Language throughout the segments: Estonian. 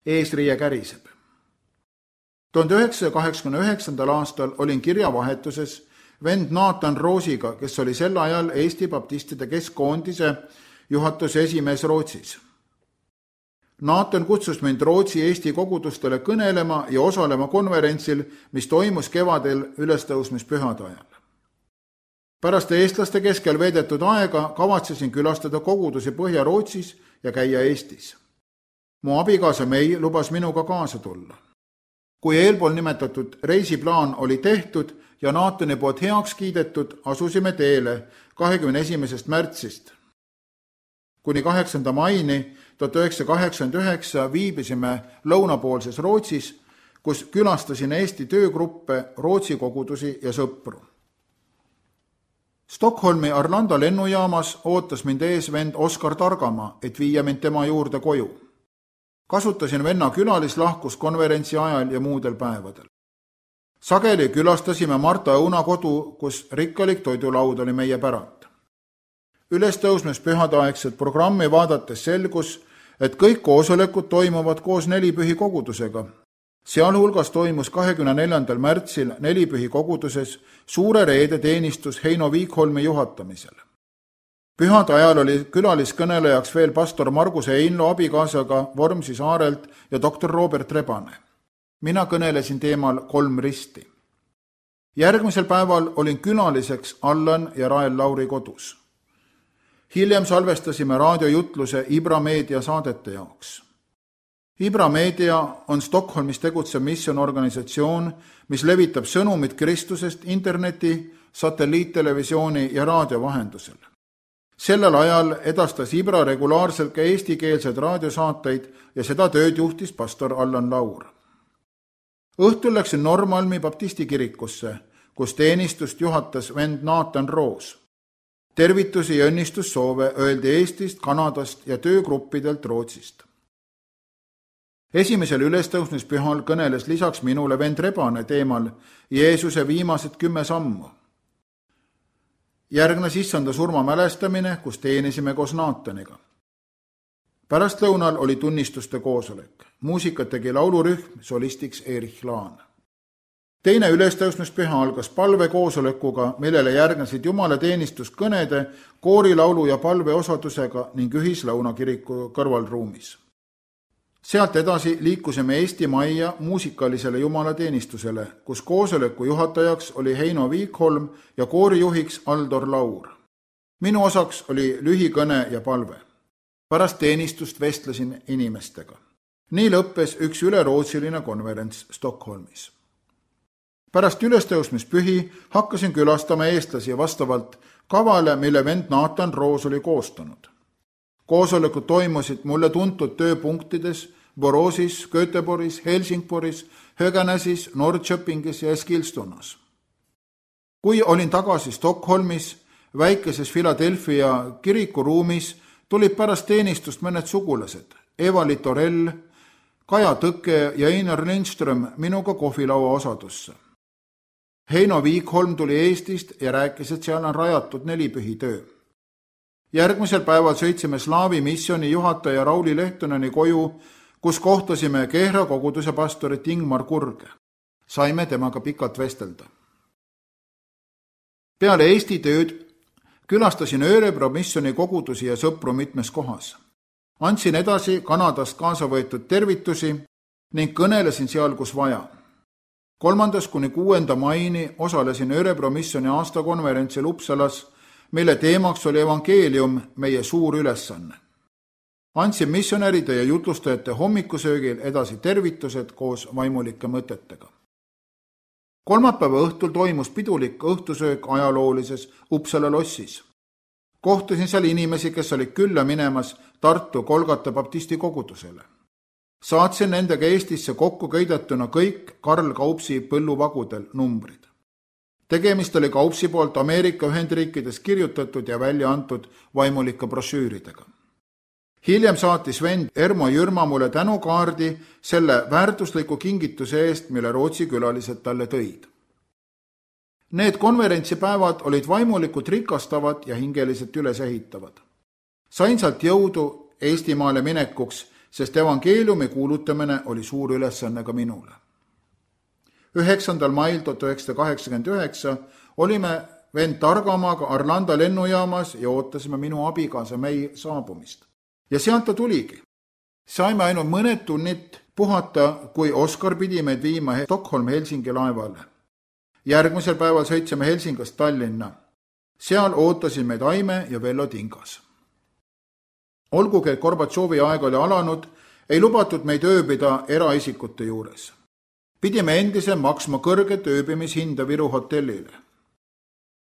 Eesriie käriseb. 1989. aastal olin kirjavahetuses vend Nathan Roosiga, kes oli sel ajal Eesti baptistide keskkoondise juhatuse esimees Rootsis. Nathan kutsus mind Rootsi Eesti kogudustele kõnelema ja osalema konverentsil, mis toimus kevadel ülestõusmispühade ajal. Pärast eestlaste keskel veedetud aega kavatsesin külastada kogudusi Põhja-Rootsis ja käia Eestis. Mu abikaasa Mei lubas minuga kaasa tulla. Kui eelpool nimetatud reisiplaan oli tehtud ja Nathani poolt heaks kiidetud, asusime teele 21. märtsist. Kuni 8. maini 1989 viibisime lõunapoolses Rootsis, kus külastasin Eesti töögruppe, Rootsi kogudusi ja sõpru. Stockholmi Arlanda lennujaamas ootas mind ees vend Oskar Targamaa, et viia mind tema juurde koju. Kasutasin venna külalislahkus konverentsi ajal ja muudel päevadel. Sageli külastasime Marta Õuna kodu, kus rikkalik toidulaud oli meie päralt. Ülestõusmispühade aegset programmi vaadates selgus, et kõik koosolekud toimuvad koos nelipühi kogudusega. Sealhulgas toimus 24. märtsil nelipühi koguduses suure reede teenistus Heino Viikholmi juhatamisel. Pühade ajal oli külaliskõnelejaks veel pastor Margus Einlo abikaasaga Vormsi saarelt ja doktor Robert Rebane. Mina kõnelesin teemal 3 risti. Järgmisel päeval olin külaliseks Allan ja Rael Lauri kodus. Hiljem salvestasime raadiojutluse Ibra Meedia saadete jaoks. Ibra Meedia on Stockholmis tegutsev missionorganisatsioon, mis levitab sõnumit Kristusest interneti, satelliittelevisiooni ja raadio vahendusel. Sellel ajal edastas Ibra regulaarselt ka eestikeelsed raadiosaateid ja seda tööd juhtis pastor Allan Laur. Õhtul läksin Normalmi baptisti kirikusse, kus teenistust juhatas vend Nathan Roos. Tervitusi ja õnnistussoove öeldi Eestist, Kanadast ja töögruppidelt Rootsist. Esimesel ülestõusmispühal kõneles lisaks minule vend Rebane teemal Jeesuse viimased 10 sammu. Järgnes issanda surma mälestamine, kus teenisime koos Nathaniga. Pärastlõunal oli tunnistuste koosolek. Muusikat tegi laulurühm, solistiks Erich Laan. Teine ülestõusmispüha algas palvekoosolekuga, millele järgnesid jumalateenistus-kõnede, koorilaulu ja palveosadusega ning ühislõuna kiriku kõrvalruumis. Sealt edasi liikusime Eesti majja muusikalisele jumalateenistusele, kus koosoleku juhatajaks oli Heino Viikholm ja koorijuhiks Aldor Laur. Minu osaks oli lühikõne ja palve. Pärast teenistust vestlesin inimestega. Nii lõppes üks ülerootsiline konverents Stockholmis. Pärast ülestõusmispühi hakkasin külastama eestlasi vastavalt kavale, mille vend Nathan Roos oli koostanud. Koosolekud toimusid mulle tuntud tööpunktides Borosis, Göteborgis, Helsingboris, Höganäsis, Norrköpingis ja Eskilstunas. Kui olin tagasi Stockholmis, väikeses Philadelphia kirikuruumis, tulid pärast teenistust mõned sugulased, Eva-Li Torell, Kaja Tõkke ja Einar Lindström minuga kohvilaua osadusse. Heino Viikholm tuli Eestist ja rääkis, et seal on rajatud nelipühitöö. Järgmisel päeval sõitsime Slaavi missiooni juhataja Rauli Lehtoneni koju, kus kohtasime Kehra koguduse pastorit Ingmar Kurge. Saime temaga pikalt vestelda. Peale Eesti tööd külastasin Örebro missiooni kogudusi ja sõpru mitmes kohas. Andsin edasi Kanadast kaasa võetud tervitusi ning kõnelesin seal, kus vaja. 3. kuni 6. maini osalesin Örebro missiooni aastakonverentsil Uppsalas, mille teemaks oli evangeelium, meie suur ülesanne. Andsin missionäride ja jutlustajate hommikusöögil edasi tervitused koos vaimulike mõtetega. Kolmapäeva õhtul toimus pidulik õhtusöök ajaloolises Uppsala lossis. Kohtusin seal inimesi, kes olid külla minemas Tartu Kolgata baptisti kogudusele. Saatsin nendega Eestisse kokku köidatuna kõik Karl Kaupsi põlluvagudel numbrid. Tegemist oli Kaupsi poolt Ameerika Ühendriikides kirjutatud ja välja antud vaimulike brošüüridega. Hiljem saatis vend Ermo Jürma mulle tänukaardi selle väärtusliku kingituse eest, mille Rootsi külalised talle tõid. Need konverentsipäevad olid vaimulikult rikastavad ja hingeliselt ülesehitavad. Sain sealt jõudu Eestimaale minekuks sest evangeeliumi kuulutamine oli suur ülesanne ka minule. 9. mail 1989 olime vend Targamaaga Arlanda lennujaamas ja ootasime minu abikaasa May saabumist. Ja sealt ta tuligi. Saime ainult mõned tunnid puhata, kui Oskar pidi meid viima Stockholm-Helsingi laevale. Järgmisel päeval sõitsime Helsingast Tallinna. Seal ootasid meid Aime ja Vello Tingas. Olgugi, et Gorbatšovi aeg oli alanud, ei lubatud meid ööbida eraisikute juures. Pidime endise maksma kõrget ööbimishinda Viru hotellile.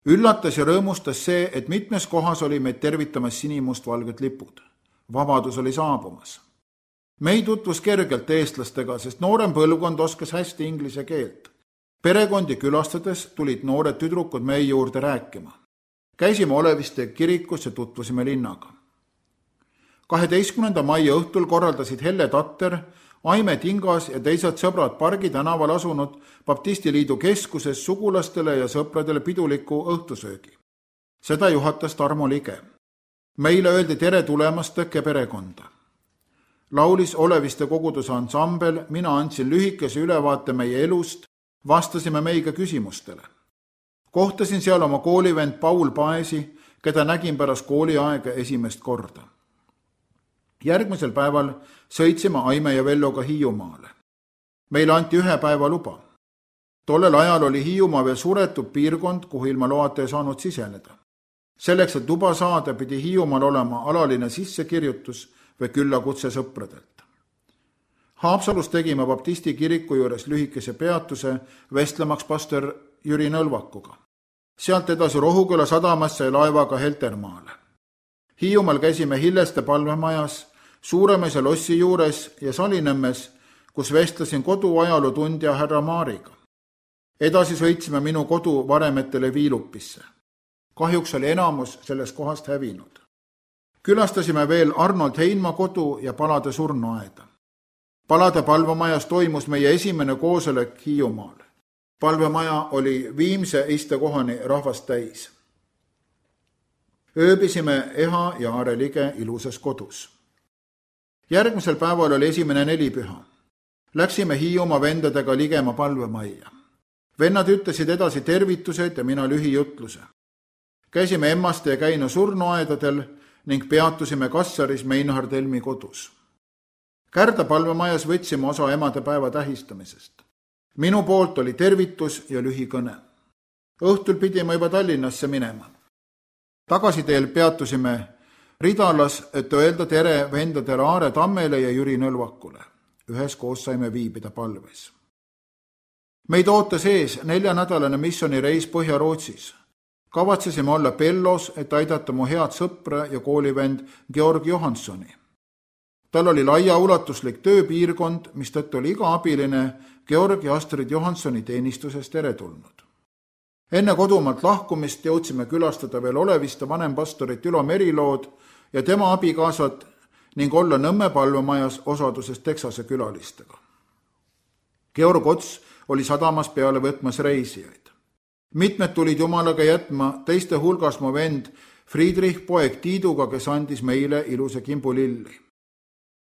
Üllatas ja rõõmustas see, et mitmes kohas oli meid tervitamas sinimustvalged lipud. Vabadus oli saabumas. Me ei tutvus kergelt eestlastega, sest noorem põlvkond oskas hästi inglise keelt. Perekondi külastades tulid noored tüdrukud meie juurde rääkima. Käisime Oleviste kirikus ja tutvusime linnaga. 12. mai õhtul korraldasid Helle Tatter, Aime Tingas ja teised sõbrad Pargi tänaval asunud Baptistiliidu keskuses sugulastele ja sõpradele piduliku õhtusöögi. Seda juhatas Tarmo Lige. Meile öeldi tere tulemast Tõkke perekonda. Laulis Oleviste koguduse ansambel, mina andsin lühikese ülevaate meie elust, vastasime meiga küsimustele. Kohtasin seal oma koolivend Paul Paesi, keda nägin pärast kooliaega esimest korda. Järgmisel päeval sõitsime Aime ja Velloga Hiiumaale. Meile anti 1 päeva luba. Tollel ajal oli Hiiumaa veel suretud piirkond, kuhu ilma loata ei saanud siseneda. Selleks, et luba saada, pidi Hiiumaal olema alaline sissekirjutus või küllakutse sõpradelt. Haapsalus tegime Baptisti kiriku juures lühikese peatuse vestlemaks pastor Jüri Nõlvakuga. Sealt edasi Rohuküla sadamasse ja laevaga Heltermaale. Hiiumaal käisime Hilleste palvemajas, Suuremäe lossi juures ja Salinõmmes, kus vestlesin koduajaloo tundja härra Maariga. Edasi sõitsime minu kodu Varemetele Viilupisse. Kahjuks oli enamus sellest kohast hävinud. Külastasime veel Arnold Heinma kodu ja Palade surnuaeda. Palade palvemajas toimus meie esimene koosolek Hiiumaal. Palvemaja oli viimse istekohani rahvast täis. Ööbisime Eha ja Aare Lige ilusas kodus. Järgmisel päeval oli esimene nelipüha. Läksime Hiiumaa vendadega Ligema palvemajja. Vennad ütlesid edasi tervitused ja mina lühijutluse. Käisime Emmaste ja Käino surnuaedadel ning peatusime Kassaris Meinhard Helmi kodus. Kärda palvemajas võtsime osa emadepäeva tähistamisest. Minu poolt oli tervitus ja lühikõne. Õhtul pidime juba Tallinnasse minema. Tagasiteel peatusime Ridalas, et öelda tere vendadele Aare Tammele ja Jüri Nõlvakule. Üheskoos saime viibida palves. Meid ootas ees 4-nädalane missioonireis Põhja-Rootsis. Kavatsesime olla Pellos, et aidata mu head sõpra ja koolivend Georg Johanssoni. Tal oli laiaulatuslik tööpiirkond, mistõttu oli iga abiline Georg ja Astrid Johanssoni teenistusest teretulnud. Enne kodumaalt lahkumist jõudsime külastada veel Oleviste vanempastorit Ülo Merilood ja tema abikaasad ning olla Nõmme palvemajas osaduses Texase külalistega. Georg Ots oli sadamas peale võtmas reisijaid. Mitmed tulid Jumalaga jätma, teiste hulgas mu vend Friedrich poeg Tiiduga, kes andis meile ilusa kimbulilli.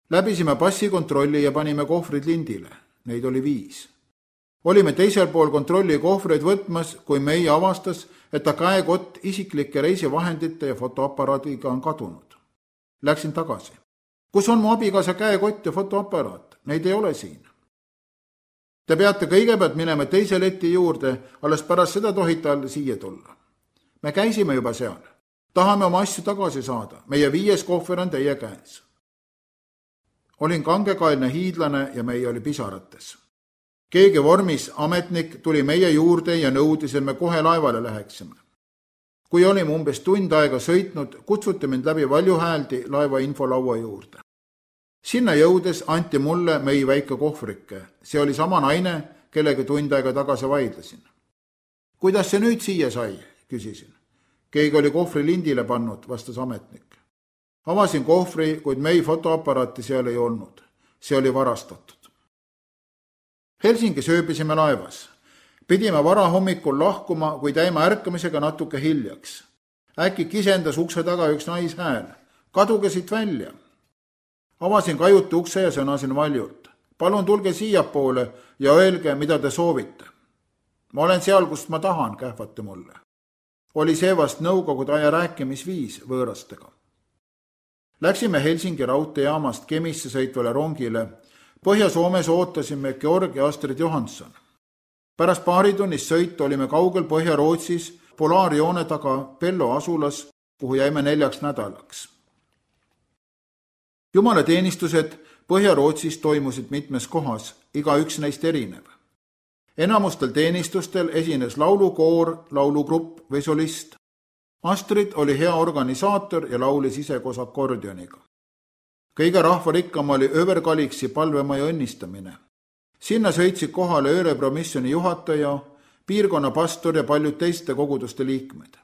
Läbisime passikontrolli ja panime kohvrid lindile. Neid oli 5. Olime teisel pool kontrolli kohvreid võtmas, kui meie avastas, et ta käekott isiklike reisivahendite ja fotoaparaadiga on kadunud. Läksin tagasi. Kus on mu abikaasa käekott ja fotoaparaat? Neid ei ole siin. Te peate kõigepealt minema teise leti juurde, alles pärast seda tohite alla siia tulla. Me käisime juba seal. Tahame oma asju tagasi saada. Meie 5. kohver on teie käes. Olin kangekaelne hiidlane ja meie oli pisarates. Keegi vormis ametnik tuli meie juurde ja nõudis, et me kohe laevale läheksime. Kui olime umbes tund aega sõitnud, kutsuti mind läbi valjuhääldi laeva infolaua juurde. Sinna jõudes anti mulle meie väike kohvrike. See oli sama naine, kellega tund aega tagasi vaidlesin. Kuidas see nüüd siia sai, küsisin. Keegi oli kohvri lindile pannud, vastas ametnik. Avasin kohvri, kuid meie fotoaparaati seal ei olnud. See oli varastatud. Helsingis ööbisime laevas. Pidime varahommikul lahkuma, kuid jäime ärkamisega natuke hiljaks. Äkki kisendas ukse taga üks naishääl. Kaduge siit välja. Avasin kajuti ukse ja sõnasin valjult. Palun tulge siiapoole ja öelge, mida te soovite. Ma olen seal, kust ma tahan, kähvati mulle. Oli see vast nõukogude aja rääkimisviis võõrastega. Läksime Helsingi raudteejaamast Kemisse sõitvale rongile. Põhja-Soomes ootasime Georg ja Astrid Johansson. Pärast paaritunnist sõitu olime kaugel Põhja-Rootsis polaarjoone taga Pello asulas, kuhu jäime 4 nädalaks. Jumalateenistused Põhja-Rootsis toimusid mitmes kohas, igaüks neist erinev. Enamustel teenistustel esines laulukoor, laulugrupp või solist. Astrid oli hea organisaator ja laulis ise koos akordioniga. Kõige rahvarikkam oli Överkaliksi palvemaja õnnistamine. Sinna sõitsid kohale Örebro-missiooni juhataja, piirkonna pastor ja paljud teiste koguduste liikmed.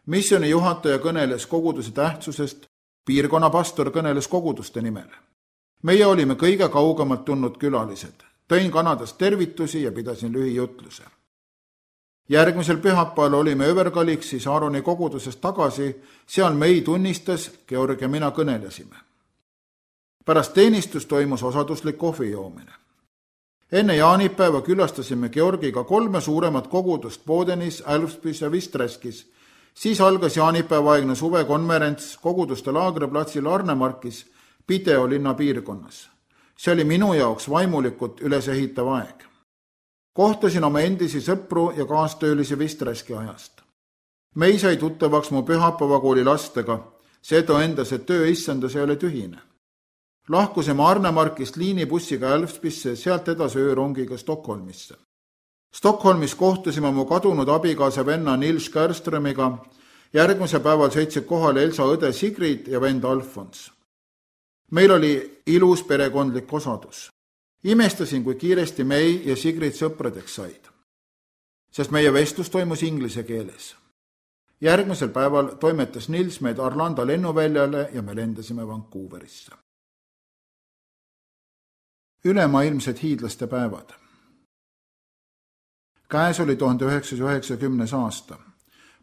Missiooni juhataja kõneles koguduse tähtsusest, piirkonna pastor kõneles koguduste nimel. Meie olime kõige kaugemalt tulnud külalised. Tõin Kanadast tervitusi ja pidasin lühijutluse. Järgmisel pühapäeval olime Överkaliksis Aaroni kogudusest tagasi, seal mei tunnistas, Georg ja mina kõnelesime. Pärast teenistus toimus osaduslik kohvi joomine. Enne jaanipäeva külastasime Georgiga 3 suuremat kogudust Bodenis, Älvspis ja Vistreskis. Siis algas jaanipäevaaegne suvekonverents koguduste laagriplatsil Arnemarkis, Pideo linna piirkonnas. See oli minu jaoks vaimulikult ülesehitav aeg. Kohtasin oma endisi sõpru ja kaastöölisi Vistreski ajast. Mei sai tuttavaks mu pühapäevakooli lastega, see tõendas, et töö issandas ei ole tühine. Lahkusime Arnemarkist liinibussiga Älvspisse, sealt edasi öörongiga Stockholmisse. Stockholmis kohtusime mu kadunud abikaasa venna Nils Kärströmiga, järgmise päeval sõitsid kohale Elsa õde Sigrid ja vend Alfons. Meil oli ilus perekondlik osadus. Imestasin, kui kiiresti Mei ja Sigrid sõpradeks said, sest meie vestlus toimus inglise keeles. Järgmisel päeval toimetas Nils meid Arlanda lennuväljale ja me lendasime Vancouverisse. Ülemaailmsed hiidlaste päevad. Käes oli 1990. aasta.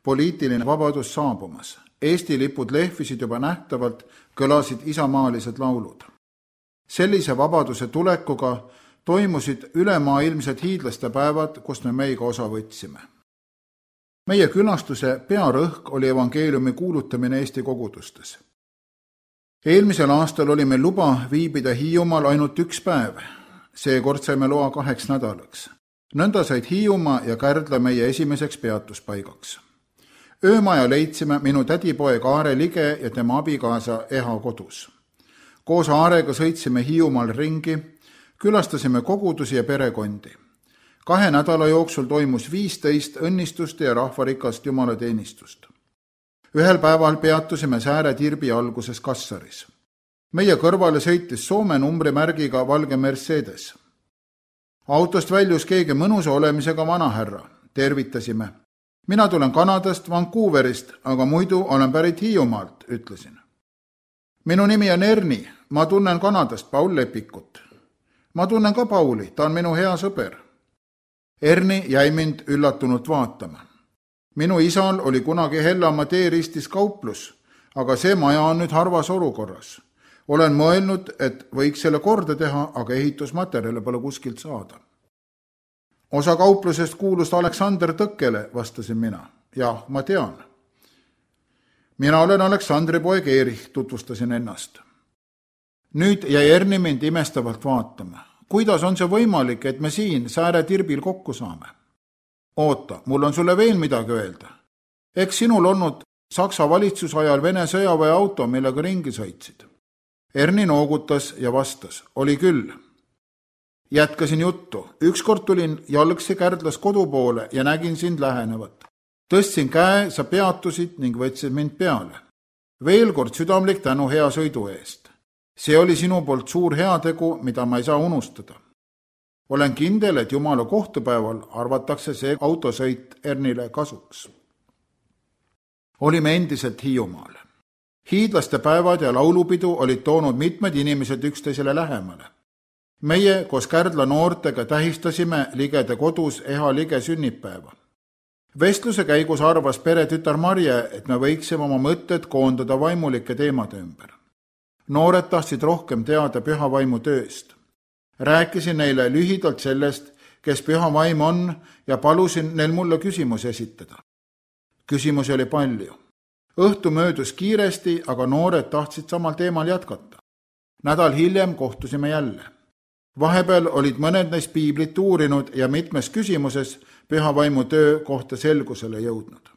Poliitiline vabadus saabumas. Eesti lipud lehvisid juba nähtavalt, kõlasid isamaalised laulud. Sellise vabaduse tulekuga toimusid ülemaailmsed hiidlaste päevad, kust me meiega osa võtsime. Meie külastuse pearõhk oli evangeeliumi kuulutamine Eesti kogudustes. Eelmisel aastal oli meil luba viibida Hiiumaal ainult 1 päev. Seekord saime loa 2 nädalaks. Nõnda said Hiiumaa ja Kärdla meie esimeseks peatuspaigaks. Öömaja leidsime minu tädipoeg Aare Lige ja tema abikaasa Eha kodus. Koos Aarega sõitsime Hiiumaal ringi, külastasime kogudusi ja perekondi. 2 nädala jooksul toimus 15 õnnistuste ja rahvarikast jumalateenistust. Ühel päeval peatusime Sääre Tirbi alguses Kassaris. Meie kõrvale sõitis Soome numbrimärgiga valge Mercedes. Autost väljus keegi mõnusa olemisega vanahärra. Tervitasime. Mina tulen Kanadast, Vancouverist, aga muidu olen pärit Hiiumaalt, ütlesin. Minu nimi on Erni, ma tunnen Kanadast Paul Lepikut. Ma tunnen ka Pauli, ta on minu hea sõber. Erni jäi mind üllatunult vaatama. Minu isal oli kunagi Hellamaa teeristis kauplus, aga see maja on nüüd harvas olukorras. Olen mõelnud, et võiks selle korda teha, aga ehitusmaterjale pole kuskilt saada. Osa kauplusest kuulus Aleksander Tõkkele, vastasin mina. Jah, ma tean. Mina olen Aleksandri poeg Erich, tutvustasin ennast. Nüüd jäi Erni mind imestavalt vaatama. Kuidas on see võimalik, et me siin Sääre Tirbil kokku saame? Oota, mul on sulle veel midagi öelda. Eks sinul olnud Saksa valitsusajal Vene sõjaväe auto, millega ringi sõitsid. Erni noogutas ja vastas, oli küll. Jätkasin juttu. Ükskord tulin jalgsi Kärdlas kodu poole ja nägin sind lähenevat. Tõstsin käe, sa peatusid ning võtsid mind peale. Veel kord südamlik tänu hea sõidu eest. See oli sinu poolt suur heategu, mida ma ei saa unustada. Olen kindel, et Jumala kohtupäeval arvatakse see autosõit Ernile kasuks. Olime endiselt Hiiumaal. Hiidlaste päevad ja laulupidu olid toonud mitmed inimesed üksteisele lähemale. Meie koos Kärdla noortega tähistasime Ligede kodus Eha Lige sünnipäeva. Vestluse käigus arvas peretütar Marje, et me võiksime oma mõtted koondada vaimulike teemade ümber. Noored tahtsid rohkem teada püha vaimu tööst. Rääkisin neile lühidalt sellest, kes püha vaim on ja palusin neil mulle küsimusi esitada. Küsimusi oli palju. Õhtu möödus kiiresti, aga noored tahtsid samal teemal jätkata. Nädal hiljem kohtusime jälle. Vahepeal olid mõned neist piiblit uurinud ja mitmes küsimuses püha vaimu töö kohta selgusele jõudnud.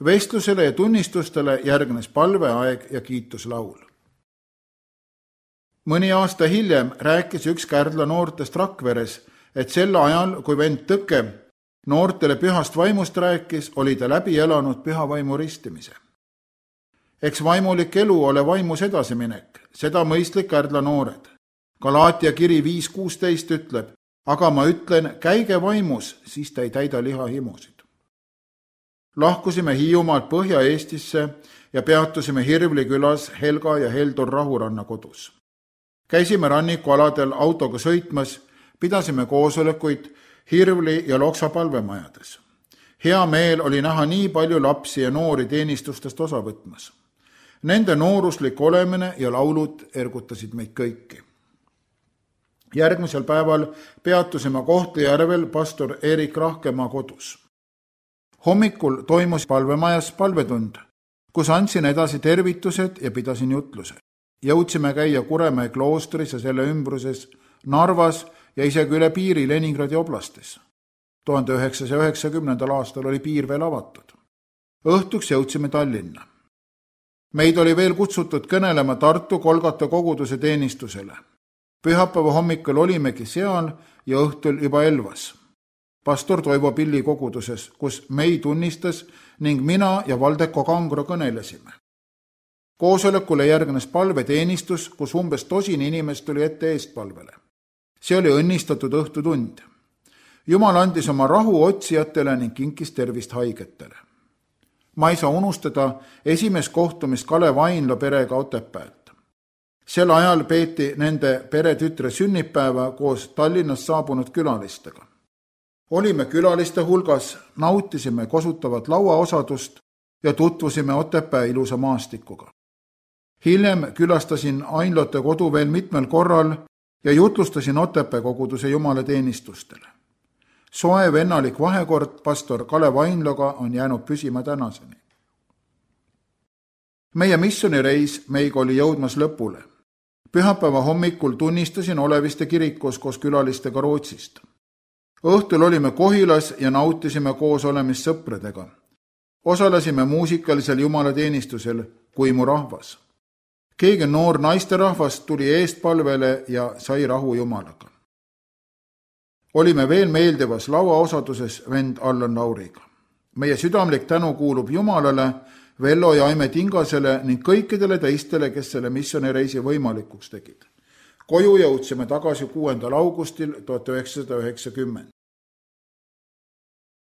Vestlusele ja tunnistustele järgnes palveaeg ja kiituslaul. Mõni aasta hiljem rääkis üks Kärdla noortest Rakveres, et sel ajal, kui vend Tõke noortele pühast vaimust rääkis, oli ta läbi elanud püha vaimu ristimise. Eks vaimulik elu ole vaimus edasiminek, seda mõistlik Kärdla noored. Galaatia kiri 5.16 ütleb, aga ma ütlen, käige vaimus, siis ta ei täida lihahimusid. Lahkusime Hiiumaalt Põhja-Eestisse ja peatusime Hirvli külas Helga ja Heldur Rahuranna kodus. Käisime rannikualadel autoga sõitmas, pidasime koosolekuid Hirvli ja Loksa palvemajades. Hea meel oli näha nii palju lapsi ja noori teenistustest osa võtmas. Nende nooruslik olemine ja laulud ergutasid meid kõiki. Järgmisel päeval peatusime Kohtla-Järvel pastor Erik Rahkemaa kodus. Hommikul toimus palvemajas palvetund, kus andsin edasi tervitused ja pidasin jutluse. Jõudsime käia Kuremäe kloostris ja selle ümbruses, Narvas ja isegi üle piiri Leningradi oblastis. 1990. aastal oli piir veel avatud. Õhtuks jõudsime Tallinna. Meid oli veel kutsutud kõnelema Tartu Kolgata koguduse teenistusele. Pühapäeva hommikul olimegi seal ja õhtul juba Elvas. Pastor Toivo Pilli koguduses, kus meid tunnistas ning mina ja Valdeko Kangro kõnelesime. Koosolekule järgnes palveteenistus, kus umbes 100 inimest tuli ette eestpalvele. See oli õnnistatud õhtutund. Jumal andis oma rahu otsijatele ning kinkis tervist haigetele. Ma ei saa unustada esimest kohtumist Kalev Ainlo perega Otepäält. Sel ajal peeti nende peretütre sünnipäeva koos Tallinnast saabunud külalistega. Olime külaliste hulgas, nautisime kosutavat lauaosadust ja tutvusime Otepää ilusa maastikuga. Hiljem külastasin Ainlote kodu veel mitmel korral ja jutlustasin Otepää koguduse jumalateenistustele. Soe vennalik vahekord pastor Kalev Ainloga on jäänud püsima tänaseni. Meie missionireis meiga oli jõudmas lõpule. Pühapäeva hommikul tunnistasin Oleviste kirikus koos külalistega Rootsist. Õhtul olime Kohilas ja nautisime koos olemist sõpradega. Osalesime muusikalisel jumalateenistusel Kui mu rahvas. Keegi noor naisterahvast tuli eestpalvele ja sai rahu Jumalaga. Olime veel meeldivas lauaosaduses vend Allan Lauriga. Meie südamlik tänu kuulub Jumalale, Vello ja Aime Tingasele ning kõikidele teistele, kes selle missionireisi võimalikuks tegid. Koju jõudsime tagasi 6. augustil 1990.